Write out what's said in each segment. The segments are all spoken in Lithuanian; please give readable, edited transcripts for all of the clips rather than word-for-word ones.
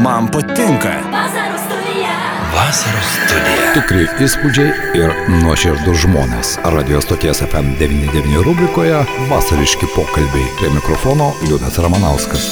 Man patinka. Vasaros studija. Tikri įspūdžiai ir nuoširdus žmonės. Radio stoties FM99 rubrikoje Vasariški pokalbiai. Prie mikrofono Liudas Ramanauskas.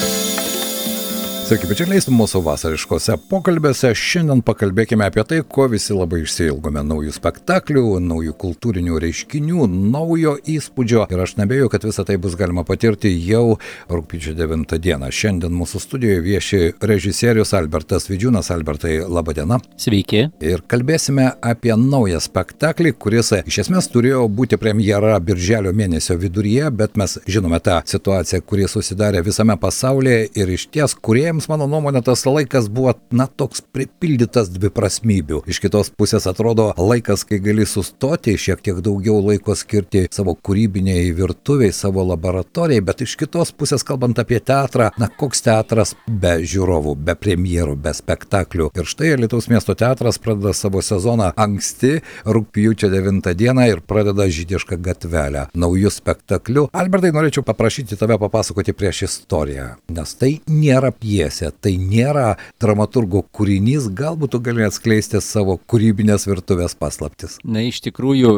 Sveiki, bičiuliai, mūsų vasariškose pokalbėse šiandien pakalbėkime apie tai, ko visi labai išsiilgome: naujų spektaklių, naujų kultūrinių reiškinių, naujo įspūdžio. Ir aš nebejoju, kad visą tai bus galima patirti jau rugpjūčio 9 dieną. Šiandien mūsų studijoje vieši režisierius Albertas Vidžiūnas. Albertai, laba diena. Sveiki. Ir kalbėsime apie naują spektaklį, kuris iš esmės turėjo būti premjera birželio mėnesio viduryje, bet mes žinome tą situaciją, kuri susidarė visame pasaulyje ir iš ties kūrėjams, mano nuomonė, tas laikas buvo, toks pripildytas dviprasmybių. Iš kitos pusės atrodo laikas, kai gali sustoti, šiek tiek daugiau laiko skirti savo kūrybiniai virtuviai, savo laboratorijai, bet iš kitos pusės, kalbant apie teatrą, koks teatras be žiūrovų, be premjerų, be spektaklių. Ir štai Alytaus miesto teatras pradeda savo sezoną anksti, rugpjūčio 9 dieną ir pradeda Žydišką gatvelę naujų spektaklių. Albertai, norėčiau paprašyti tave papasakoti prieš istoriją, nes tai nėra pjesė. Tai nėra dramaturgo kūrinys, galbūt tu gali atskleisti savo kūrybinės virtuvės paslaptis. Na, iš tikrųjų,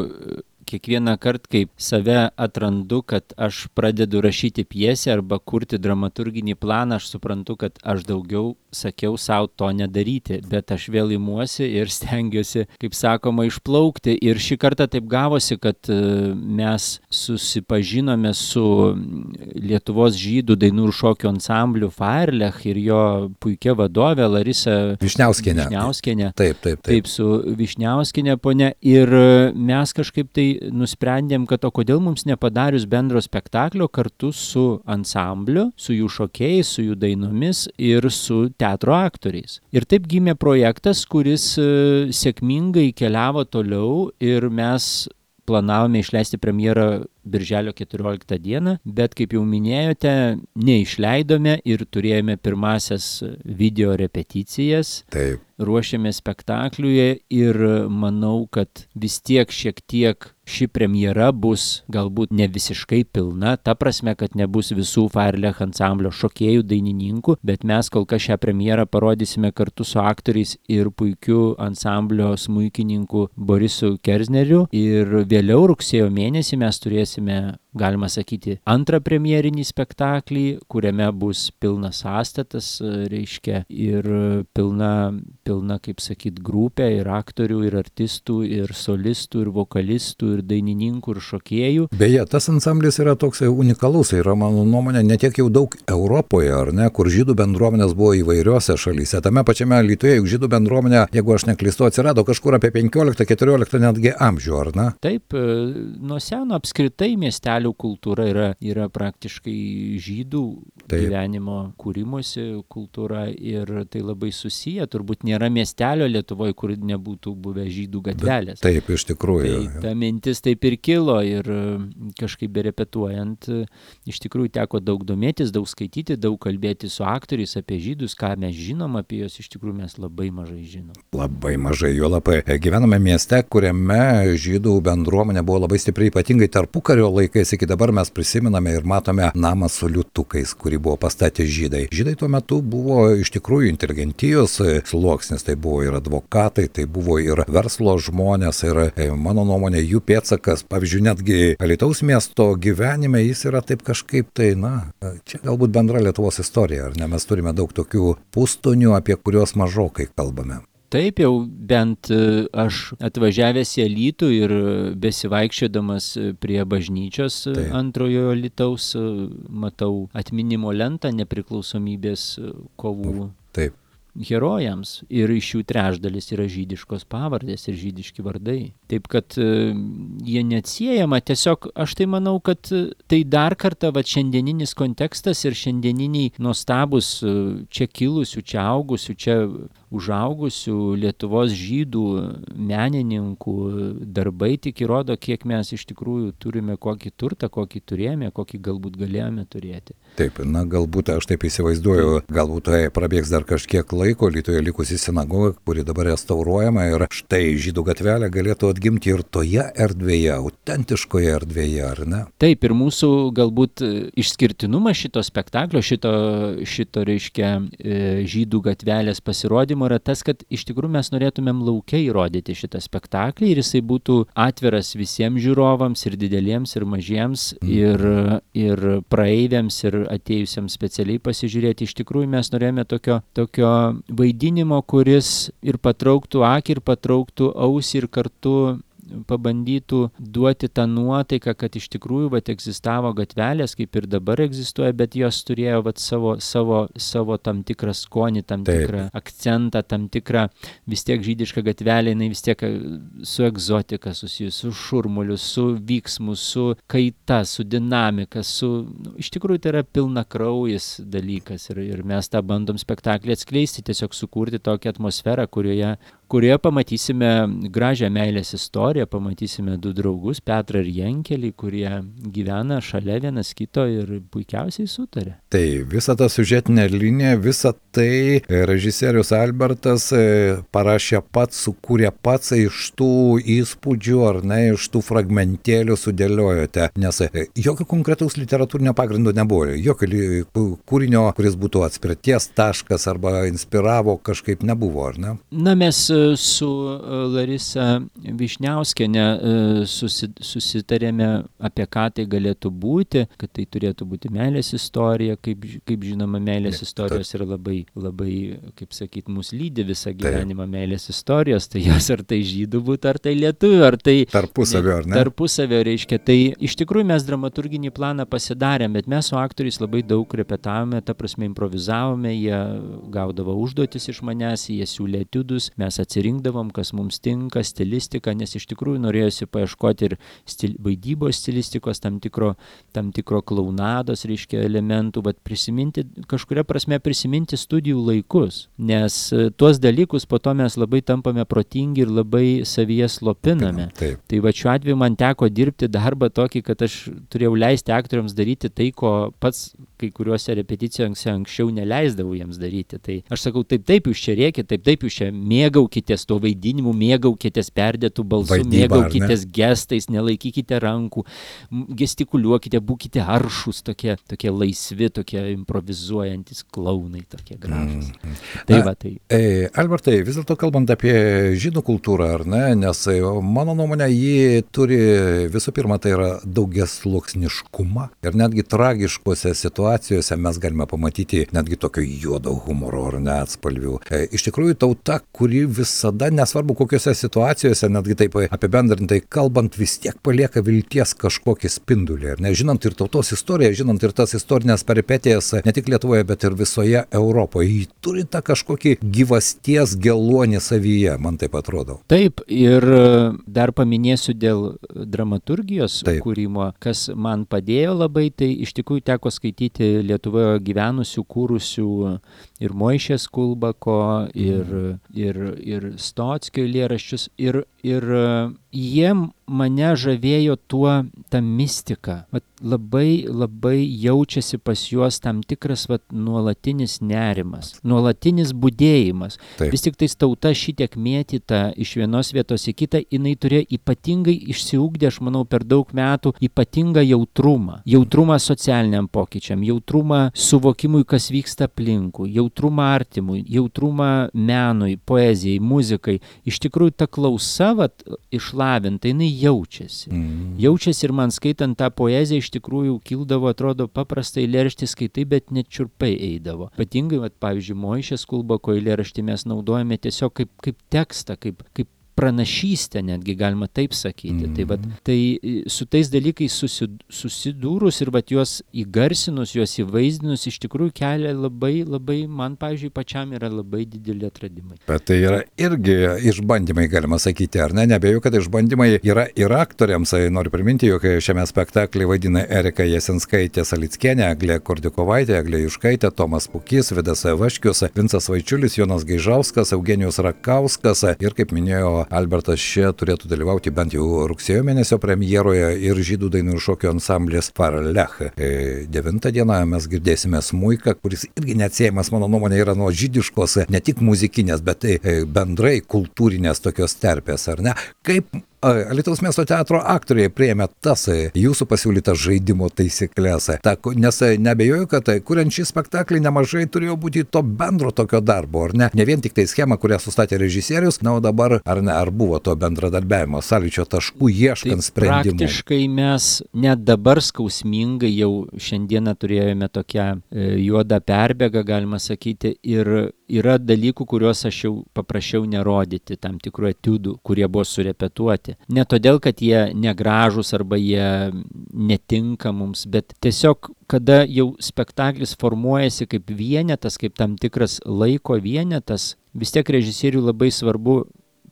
kiekvieną kartą, kaip save atrandu, kad aš pradedu rašyti pjesę arba kurti dramaturginį planą, aš suprantu, kad aš daugiau sakiau savo to nedaryti, bet aš vėl imuosi ir stengiuosi, kaip sakoma, išplaukti. Ir šį kartą taip gavosi, kad mes susipažinome su Lietuvos žydų dainų ir šokių ansambliu Fairlech ir jo puikia vadovė Larisa Vyšniauskienė. Taip, su Vyšniauskienė ponia. Ir mes kažkaip tai nusprendėm, kad o kodėl mums nepadarius bendro spektaklio kartu su ansambliu, su jų šokėjais, su jų dainomis ir su teatro aktoriais. Ir taip gimė projektas, kuris sėkmingai keliavo toliau ir mes planavome išleisti premjerą birželio 14 dieną, bet kaip jau minėjote, neišleidome ir turėjome pirmasias video repeticijas. Taip. Ruošėme spektakliuje ir manau, kad vis tiek šiek tiek ši premjera bus galbūt ne visiškai pilna, ta prasme, kad nebus visų Fairlech ansamblio šokėjų, dainininkų, bet mes kol kas šią premjerą parodysime kartu su aktoriais ir puikiu ansamblio smuikininku Borisu Kerzneriu. Ir vėliau rugsėjo mėnesį mes turėsime, galima sakyti, antrą premjerinį spektaklį, kuriame bus pilnas sąstatas, reiškia, ir pilna, kaip sakyt, grupė ir aktorių, ir artistų, ir solistų, ir vokalistų, ir dainininkų, ir šokėjų. Beje, tas ansamblis yra toks unikalus, yra, mano nuomonė, netiek jau daug Europoje, ar ne, kur žydų bendruomenės buvo įvairiose šalyse. Tame pačiame Alytuje, juk žydų bendruomenė, jeigu aš neklystu, atsirado kažkur apie 15-14 netgi amžių, ar ne? Taip, nuo seno apskritai miestelių kultūra yra praktiškai žydų gyvenimo kūrimosi kultūra ir tai labai susiję. Turbūt nėra miestelio Lietuvoje, kur nebūtų buvę žydų gatvelės. Taip, iš tikrųjų. Tai ta mintis taip ir kilo ir kažkaip berepetuojant, iš tikrųjų teko daug domėtis, daug skaityti, daug kalbėti su aktoriais apie žydus, ką mes žinom apie juos, iš tikrųjų mes labai mažai žinom. Labai mažai, jo labai. Gyvename mieste, kuriame žydų bendruomenė buvo labai stipriai, ypatingai tarpukario laikais, iki dabar mes prisimename ir matome namą su liūtukais, kurį buvo pastatę žydai. Žydai tuo metu buvo iš tikrųjų inteligentijos sluoksnis, tai buvo ir advokatai, tai buvo ir verslo žmonės ir mano nuomonė jų pėdsakas, pavyzdžiui, netgi Alytaus miesto gyvenime jis yra taip kažkaip tai, čia galbūt bendra Lietuvos istorija, ar ne, mes turime daug tokių pustonių, apie kuriuos mažokai kalbame. Taip jau bent aš atvažiavęs į Alytų ir besivaikščiodamas prie bažnyčios antrojo Alytaus matau atminimo lentą nepriklausomybės kovų. Taip. Herojams ir iš jų trečdalis yra žydiškos pavardės ir žydiški vardai. Taip, kad jie neatsiejama, tiesiog aš tai manau, kad tai dar kartą šiandieninis kontekstas ir šiandieniniai nuostabus čia kilusių, čia augusių, čia užaugusių Lietuvos žydų menininkų darbai tik įrodo, kiek mes iš tikrųjų turime kokį turtą, kokį turėjome, kokį galbūt galėjome turėti. Taip, na galbūt aš taip įsivaizduoju, galbūt prabėgs dar kažkiek laiko, Alytuje likusi sinagoga, kuri dabar restauruojama ir štai Žydų gatvelė galėtų atgimti ir toje erdvėje, autentiškoje erdvėje, ar ne? Taip, ir mūsų galbūt išskirtinumas šito spektaklio, šito reiškia Žydų gatvelės pasirodymo yra tas, kad iš tikrųjų mes norėtumėm lauke įrodyti šitą spektaklį ir jisai būtų atviras visiems žiūrovams, ir dideliems, ir mažiems, ir praeiviams, ir atėjusiems specialiai pasižiūrėti. Iš tikrųjų mes norėjome tokio vaidinimo, kuris ir patrauktų akį, ir patrauktų ausį, ir kartu pabandytų duoti tą nuotaiką, kad iš tikrųjų egzistavo gatvelės, kaip ir dabar egzistuoja, bet jos turėjo savo tam tikrą skonį, tam tikrą akcentą, tam tikrą vis tiek žydišką gatvelę, jinai vis tiek su egzotika susijusi, su šurmuliu, su vyksmu, su kaita, su dinamika, iš tikrųjų tai yra pilnakraujis dalykas ir mes tą bandom spektaklį atskleisti, tiesiog sukurti tokią atmosferą, kurioje pamatysime gražią meilės istoriją, pamatysime du draugus, Petrą ir Jenkelį, kurie gyvena šalia vienas kito ir puikiausiai sutarė. Tai visa ta siužetinė linija, visa tai režisierius Albertas parašė pats, sukūrė pats iš tų įspūdžių, ar ne, iš tų fragmentėlių sudėliojote, nes jokio konkretaus literatūrinio pagrindo nebuvo, jokio kūrinio, kuris būtų atspirties taškas arba inspiravo, kažkaip nebuvo, ar ne? Na, mes su Larisa Višniauskienė susitarėme, apie ką tai galėtų būti, kad tai turėtų būti meilės istorija, kaip žinoma, meilės istorijos yra labai, kaip sakyt, mus lydi visą gyvenimą meilės istorijos, tai jos ar tai žydų būtų, ar tai lietuvių, ar tai tarpusavio, ar ne? Tarpusavio reiškia. Tai iš tikrųjų mes dramaturginį planą pasidarėm, bet mes su aktoriais labai daug repetavome, ta prasme improvizavome, jie gaudavo užduotis iš manęs, jie siūlė etiudus, mes atsirinkdavom, kas mums tinka, stilistiką, nes iš tikrųjų norėjosi paieškoti ir vaidybos stilistikos, tam tikro klaunados, reiškia, elementų, bet kažkuria prasme prisiminti studijų laikus, nes tuos dalykus po to mes labai tampame protingi ir labai savyje slopiname. Taip. Tai va šiuo atveju man teko dirbti darbą tokį, kad aš turėjau leisti aktoriams daryti tai, ko pats kai kuriuose repeticijose anksčiau neleisdavau jiems daryti. Tai aš sakau, taip jūs čia rėkit, taip jūs čia mėgaukitės to vaidinimu, mėgaukitės perdėtų balsų, mėgaukitės gestais, nelaikykite rankų, gestikuliuokite, būkite aršus, tokie laisvi, tokie improvizuojantis klaunai, tokie gražus. Albertai, vis dėlto kalbant apie žydų kultūrą, ar ne, nes mano nuomonė, ji turi visų pirma, tai yra daugiasluoksniškumą ir netgi tragiškose situacijose mes galime pamatyti netgi tokio juodo humoro ar ne atspalvių. Iš tikrųjų, tauta, kuri visada, nesvarbu kokiose situacijose, netgi taip apibendrintai kalbant, vis tiek palieka vilties kažkokį spindulį. Ir nežinant ir tautos istoriją, žinant ir tas istorinės peripetijas ne tik Lietuvoje, bet ir visoje Europoje. Ji turi tą kažkokį gyvasties geluonį savyje, man taip atrodo. Taip, ir dar paminėsiu dėl dramaturgijos kūrimo, kas man padėjo labai, tai iš tikrųjų teko skaityti Lietuvoje gyvenusių, kūrusių ir Moišės Kulbako, ir Stockio eilėraščius, ir jie mane žavėjo ta mistika. Labai jaučiasi pas juos tam tikras nuolatinis nerimas, nuolatinis budėjimas. Taip. Vis tik tais tauta šitiek mėtyta iš vienos vietos į kitą, jinai turėjo ypatingai išsiugdė, aš manau, per daug metų ypatingą jautrumą. Jautrumą socialiniam pokyčiam, jautrumą suvokimui, kas vyksta aplinkui, jautrumą artimui, jautrumą menui, poezijai, muzikai. Iš tikrųjų, ta klausa išlavinta, jinai jaučiasi. Jaučiasi ir man skaitant tą poeziją iš tikrųjų kildavo, atrodo, paprastai eilėraštį skaitai, bet net čiurpai eidavo. Ypatingai, pavyzdžiui, Moišės Kulbako eilėraštį mes naudojame tiesiog kaip tekstą, kaip pranašystę, netgi galima taip sakyti. Tai su tais dalykais susidūrus ir juos įgarsinus, juos įvaizdinus, iš tikrųjų kelia labai, man, pavyzdžiui, pačiam yra labai dideli atradimai. Bet tai yra irgi išbandymai, galima sakyti, ar ne? Nebejoju, kad išbandymai yra ir aktoriams. Noriu priminti, jog šiame spektaklyje vaidina Erika Jasinskaitė Salickienė, Eglė Kordikovaitė, Eglė Juškaitė, Tomas Pukys, Vidas Vaškius, Vincas Vaičiulis, Jonas Gaižauskas, Eugenijus Rakauskas ir, kaip minėjo Albertas čia turėtų dalyvauti bent jau rugsėjo mėnesio premjeroje ir žydų dainų ir šokių ansamblis Farlech. 9 dieną mes girdėsime smuiką, kuris irgi neatsiejamas, mano nuomonė, yra nuo žydiškos, ne tik muzikinės, bet bendrai kultūrinės tokios terpės, ar ne? Kaip Alytaus miesto teatro aktoriai priėmė tas jūsų pasiūlytas žaidimo taisyklės? Nes neabejoju, kad kuriant šį spektaklį nemažai turėjo būti to bendro tokio darbo, ar ne? Ne vien tik tai schema, kurią sustatė režisierius, na, o dabar, ar buvo to bendradarbiavimo, sąlyčio taškų ieškant sprendimų? Praktiškai mes net dabar skausmingai jau šiandieną turėjome tokią juodą perbėgą, galima sakyti, ir yra dalykų, kuriuos aš jau paprašiau nerodyti, tam tikrų etiudų, kurie buvo surepetuoti. Ne todėl, kad jie negražūs arba jie netinka mums, bet tiesiog, kada jau spektaklis formuojasi kaip vienetas, kaip tam tikras laiko vienetas, vis tiek režisieriui labai svarbu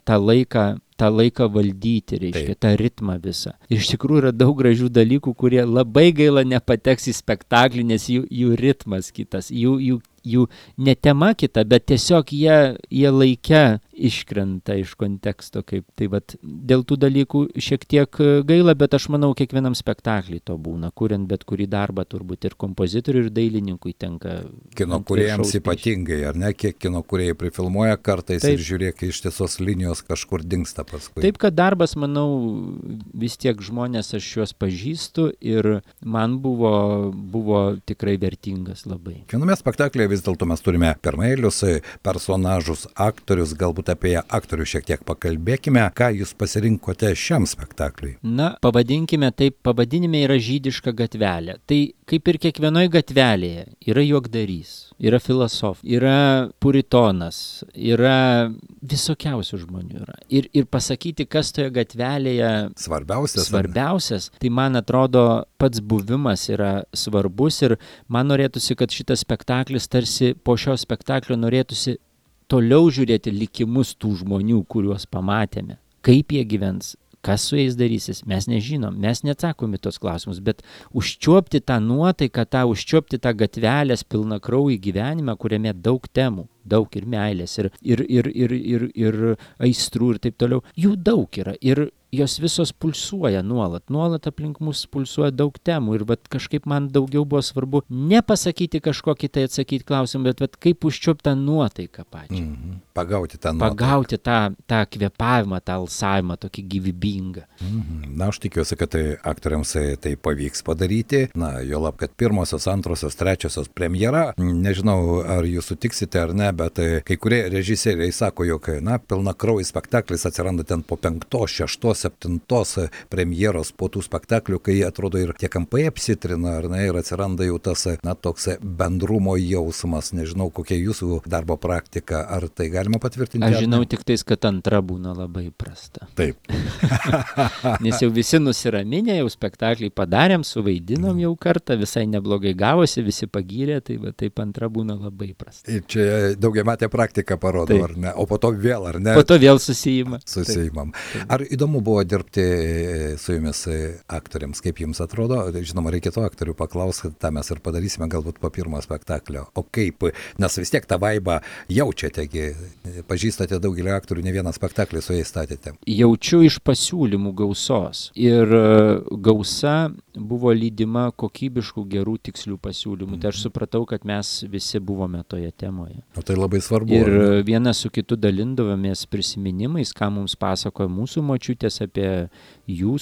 tą laiką valdyti, reiškia, tą ritmą visą. Ir iš tikrųjų yra daug gražių dalykų, kurie labai gaila nepateks į spektaklį, nes jų ritmas kitas, jų ne tema kita, bet tiesiog jie laike iškrenta iš konteksto. Tai vat, dėl tų dalykų šiek tiek gaila, bet aš manau, kiekvienam spektaklį to būna, kuriant bet kurį darbą, turbūt ir kompozitoriui, ir dailininkui tenka. Kino kūrėjams ypatingai, ar ne? Kiek kino kūrėjai prifilmuoja kartais. Taip. Ir žiūrėk, iš tiesos linijos kažkur dingsta paskui. Taip, kad darbas, manau, vis tiek žmonės, aš juos pažįstu ir man buvo tikrai vertingas labai. Kiekviename spektaklyje vis dėlto mes turime pirmaeilius personažus, aktorius, galbūt apie aktorių šiek tiek pakalbėkime. Ką jūs pasirinkote šiam spektakliui? Na, pavadinkime taip, pavadinime yra žydiška gatvelė. Tai kaip ir kiekvienoje gatvelėje yra juokdarys, yra filosofas, yra puritonas, yra visokiausių žmonių yra. Ir pasakyti, kas toje gatvelėje svarbiausias, tai man atrodo pats buvimas yra svarbus ir man norėtųsi, kad šitas spektaklis tarsi po šio spektaklio norėtųsi toliau žiūrėti likimus tų žmonių, kuriuos pamatėme. Kaip jie gyvens, kas su jais darysis, mes nežinom, mes neatsakom į tos klausimus, bet užčiuopti tą nuotaiką, užčiuopti tą gatvelės pilną kraują gyvenimą, kuriame daug temų, daug ir meilės, ir aistrų ir taip toliau. Jų daug yra ir jos visos pulsuoja nuolat aplink mus pulsuoja daug temų ir vat kažkaip man daugiau buvo svarbu ne pasakyti kažkokį tai atsakyti klausimą, bet vat kaip užčiuopti tą nuotaiką pačią. Pagauti tą nuotaiką. Pagauti tą kvėpavimą, tą alsavimą, tokį gyvybingą. Na, aš tikiuosi, kad aktoriams tai pavyks padaryti. Na, juolab, kad pirmosios, antrosios, trečiosios premjera, nežinau, ar jūs sutiksite ar ne, bet kai kurie režisieriai sako, jog, na, pilnakraujas spektaklis atsiranda ten po 5, 6, 7 premjeros po tų spektaklių, kai atrodo ir tie kampai apsitrina, ar ne, ir atsiranda jau tas, na, toks bendrumo jausmas. Nežinau, kokia jūsų darbo praktika, ar tai galima patvirtinti? Aš žinau tik tais, kad antra būna labai prasta. Taip. Nes jau visi nusiraminę, jau spektaklį padarėm, suvaidinom jau kartą, visai neblogai gavosi, visi pagyrė, tai va, taip antra būna labai prasta. Ir čia daugiametė praktika parodo, taip. Ar ne? O po to vėl, ar ne? Po to vėl susijimam. Taip. Ar įdomu buvo dirbti su jumis aktoriams, kaip jums atrodo? Žinoma, reikėtų aktorių paklausti, tą mes ir padarysime galbūt po pirmo spektaklio. O kaip? Nes vis tiek tą vaibą jaučiategi, pažįstate daugelį aktorių, ne vieną spektaklį su jais statėte. Jaučiu iš pasiūlymų gausos. Ir gausa buvo lydima kokybiškų, gerų, tikslių pasiūlymų. Tai aš supratau, kad mes visi buvome toje temoje. O tai labai svarbu. Ir vienas su kitu dalindavomės prisiminimais, ką mums pasakoja mūsų močiutės apie jų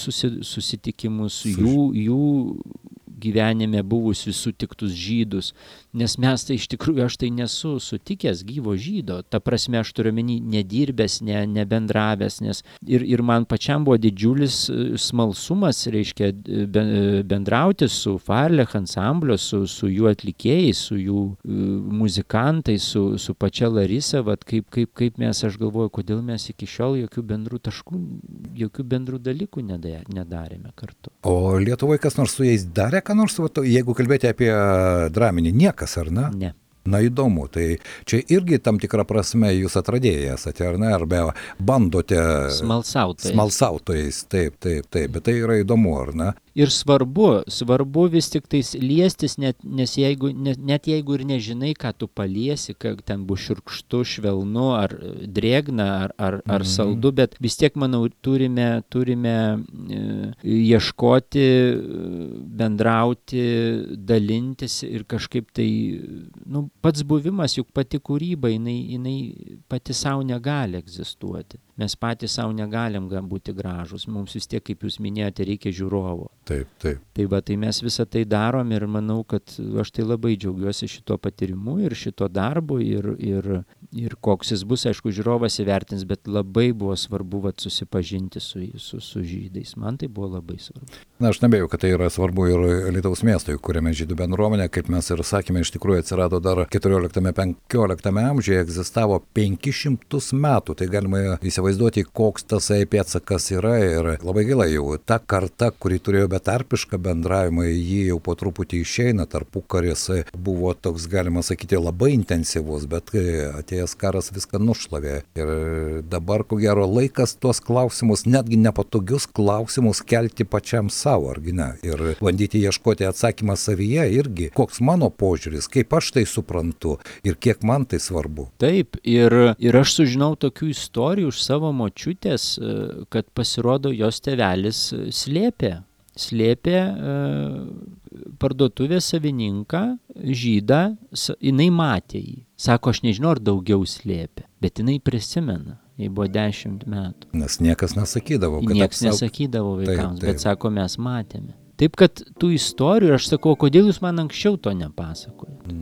susitikimus, jų gyvenime buvusius sutiktus žydus, nes mes tai iš tikrųjų, aš tai nesu sutikęs gyvo žydo, ta prasme aš turiu omeny nedirbęs, nebendravęs, nes ir man pačiam buvo didžiulis smalsumas, reiškia, bendrauti su Farlech ansamblio, su jų atlikėjais, su jų muzikantais, su pačia Larisa, vat kaip mes, aš galvoju, kodėl mes iki šiol jokių bendrų taškų, jokių bendrų dalykų nedarėme kartu. O Lietuvoje kas nors su jais darė, ką nors, jeigu kalbėti apie draminį, niekas, ar ne? Ne. Na, įdomu, tai čia irgi tam tikrą prasme jūs atradėjai esate, ar ne, arba bandote smalsautojais, taip, bet tai yra įdomu, ar ne? ir svarbu vis tik tais liestis, net jeigu ir nežinai, ką tu paliesi, kad ten bus šiurkštu, švelnu, ar drėgna, ar saldu, bet vis tiek, manau, turime ieškoti, bendrauti, dalintis ir kažkaip tai, pats buvimas, juk pati kūryba, jinai pati savo negali egzistuoti. Mes patys savo negalim būti gražus. Mums vis tiek, kaip jūs minėjote, reikia žiūrovo. Taip. Tai mes visą tai darom ir manau, kad aš tai labai džiaugiuosi šito patyrimu ir šito darbu ir koks jis bus, aišku, žiūrovas įvertins, bet labai buvo svarbu susipažinti su žydais. Man tai buvo labai svarbu. Aš nebėjau, kad tai yra svarbu ir Alytaus miestui, kuriame žydų bendruomenė, kaip mes ir sakėme, iš tikrųjų atsirado dar 14-15 amžiuje, egzistavo 500 metų. Tai galima įsivaizduoti, koks tasai pėdsakas yra ir labai gaila jau. Ta karta, kuri turėjo betarpišką bendravimą, jį jau po truputį išeina, tarpukaris buvo toks, galima sakyti, labai intensyvus, bet atėjęs karas viską nušlavė. Ir dabar, ko gero, laikas tuos klausimus, netgi nepatogius klausimus kelti pačiam savo, argi ne? Ir bandyti ieškoti atsakymą savyje irgi. Koks mano požiūris, kaip aš tai suprantu ir kiek man tai svarbu. Taip, ir aš sužinau tokių istorijų iš savo močiutės, kad pasirodo jos tėvelis slėpė parduotuvės savininką, žydą, jinai matė jį. Sako, aš nežinau, ar daugiau slėpė, bet jinai prisimena. Jai buvo 10 metų. Nes niekas nesakydavo. Niekas nesakydavo vaikams, taip. Bet sako, mes matėme. Taip, kad tų istorijų, aš sakau, kodėl jūs man anksčiau to nepasakojate?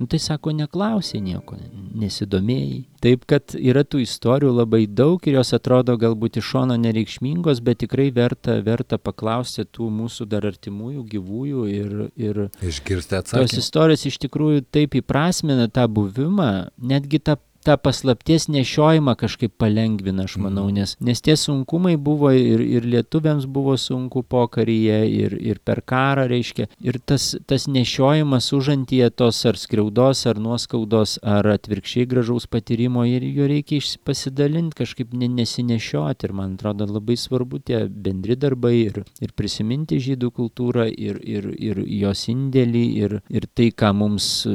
Tai sako, neklausė nieko, nesidomėjai. Taip, kad yra tų istorijų labai daug ir jos atrodo galbūt iš šono nereikšmingos, bet tikrai verta paklausti tų mūsų dar artimųjų, gyvųjų ir išgirsti atsakymą. Tos istorijos iš tikrųjų taip įprasmina tą buvimą, netgi tą paslapties nešiojimą kažkaip palengvina, aš manau, nes tie sunkumai buvo ir lietuviams buvo sunku pokaryje ir per karą, reiškia, ir tas nešiojimas užantyje tos ar skriaudos, ar nuoskaudos, ar atvirkščiai gražaus patyrimo, ir jo reikia pasidalinti, kažkaip nesinešioti, ir man atrodo labai svarbu tie bendri darbai ir prisiminti žydų kultūrą ir jos indėlį ir tai, ką mums,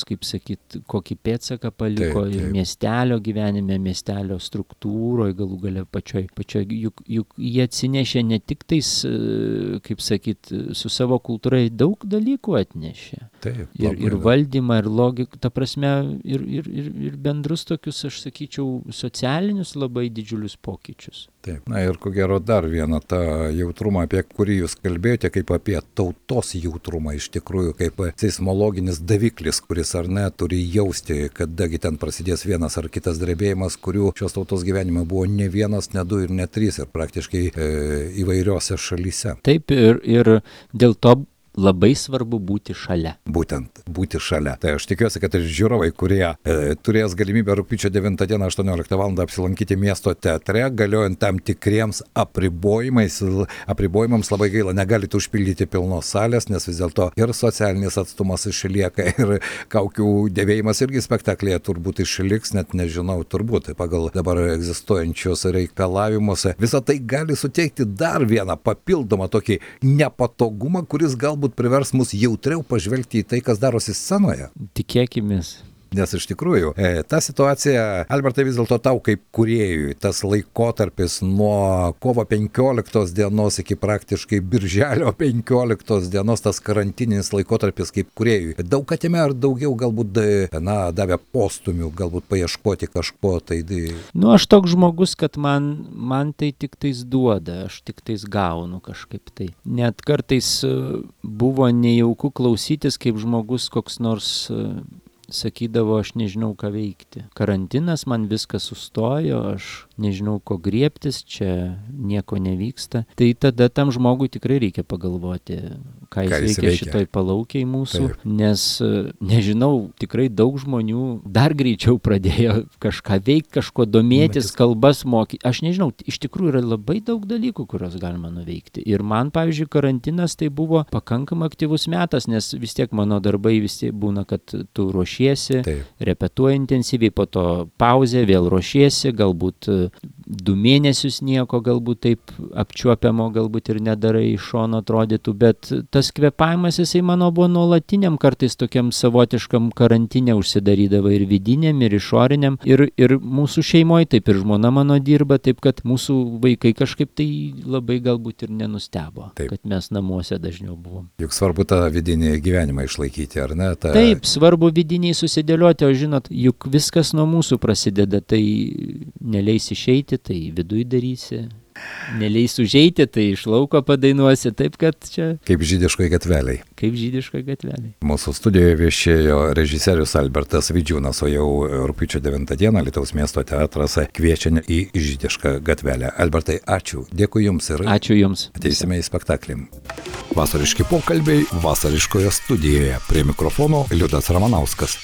kaip sakyt, kokį pėdsaką paliko. Taip. Ir miestelio gyvenime, miestelio struktūroje, galų gale pačioj, juk jie atsinešė ne tik tais, kaip sakyt, su savo kultūra daug dalykų atnešė. Taip, ir valdymą, ir logiką, ta prasme, ir bendrus tokius, aš sakyčiau, socialinius labai didžiulius pokyčius. Taip, ir ko gero dar vieną tą jautrumą, apie kurį jūs kalbėjote, kaip apie tautos jautrumą, iš tikrųjų, kaip seismologinis daviklis, kuris ar ne turi jausti, kadagi ten prasidės vienas ar kitas drebėjimas, kurių šios tautos gyvenime buvo ne vienas, ne du ir ne trys, ir praktiškai įvairiose šalyse. Taip, ir dėl to labai svarbu būti šalia. Būtent, būti šalia. Tai aš tikiuosi, kad ir žiūrovai, kurie turės galimybę rugpjūčio 9 dieną 18 val. Apsilankyti miesto teatre, galiojant tam tikriems apribojimams, labai gaila, negalite užpildyti pilnos salės, nes vis dėlto ir socialinis atstumas išlieka, ir kaukių dėvėjimas irgi spektaklėje turbūt išliks, net nežinau, turbūt pagal dabar egzistuojančius reikalavimus. Visą tai gali suteikti dar vieną papildomą tokį nepatogumą, kuris galbūt privers mus jautriau pažvelgti į tai, kas darosi scenoje. Tikėkimės. Nes iš tikrųjų, ta situacija, Albertai, vis dėlto tau kaip kūrėjui, tas laikotarpis nuo kovo 15 dienos iki praktiškai birželio 15 dienos, tas karantininis laikotarpis kaip kūrėjui, daug atėmė ar daugiau galbūt, davė postumių, galbūt paieškoti kažko, tai... Aš toks žmogus, kad man tai tik tais duoda, aš tik tais gaunu kažkaip tai. Net kartais buvo nejauku klausytis, kaip žmogus koks nors... sakydavo, aš nežinau, ką veikti. Karantinas, man viskas sustojo, aš nežinau, ko griebtis, čia nieko nevyksta. Tai tada tam žmogui tikrai reikia pagalvoti, ką jis veikia šitoj palaukiai mūsų, taip. Nes, nežinau, tikrai daug žmonių dar greičiau pradėjo kažką veikti, kažko domėtis, kalbas mokyti. Aš nežinau, iš tikrųjų yra labai daug dalykų, kuriuos galima nuveikti. Ir man, pavyzdžiui, karantinas tai buvo pakankamai aktyvus metas, nes vis tiek mano darbai vis tiek būna, kad tu ruošiesi, repetuoji intensyviai, po to pauzė, vėl ruošiesi, galbūt 2 mėnesius nieko galbūt taip apčiuopiamo, galbūt ir nedarai iš šono atrodytų, bet tas kvėpavimas jisai mano buvo nuolatiniam, kartais tokiam savotiškam karantine užsidarydavo ir vidiniam, ir išoriniam, ir mūsų šeimoje taip ir žmona mano dirba, taip kad mūsų vaikai kažkaip tai labai galbūt ir nenustebo, kad mes namuose dažniau buvom. Juk svarbu tą vidinį gyvenimą išlaikyti, ar ne? Taip, svarbu vidiniai susidėlioti, o žinot, juk viskas nuo mūsų prasideda, tai neleis išeiti, tai viduj darysi. Neleis užeiti, tai iš lauko padainuosi, taip kad čia... Kaip žydiškoj gatveliai. Kaip žydiškoj gatveliai. Mūsų studijoje viešėjo režisierius Albertas Vidžiūnas, o jau rugpjūčio 9 dieną Alytaus miesto teatras kviečia į žydišką gatvelę. Albertai, ačiū. Dėkui Jums ir... Ačiū Jums. Ateisime į spektaklį. Vasariški pokalbiai vasariškoje studijoje. Prie mikrofono Liudas Ramanauskas.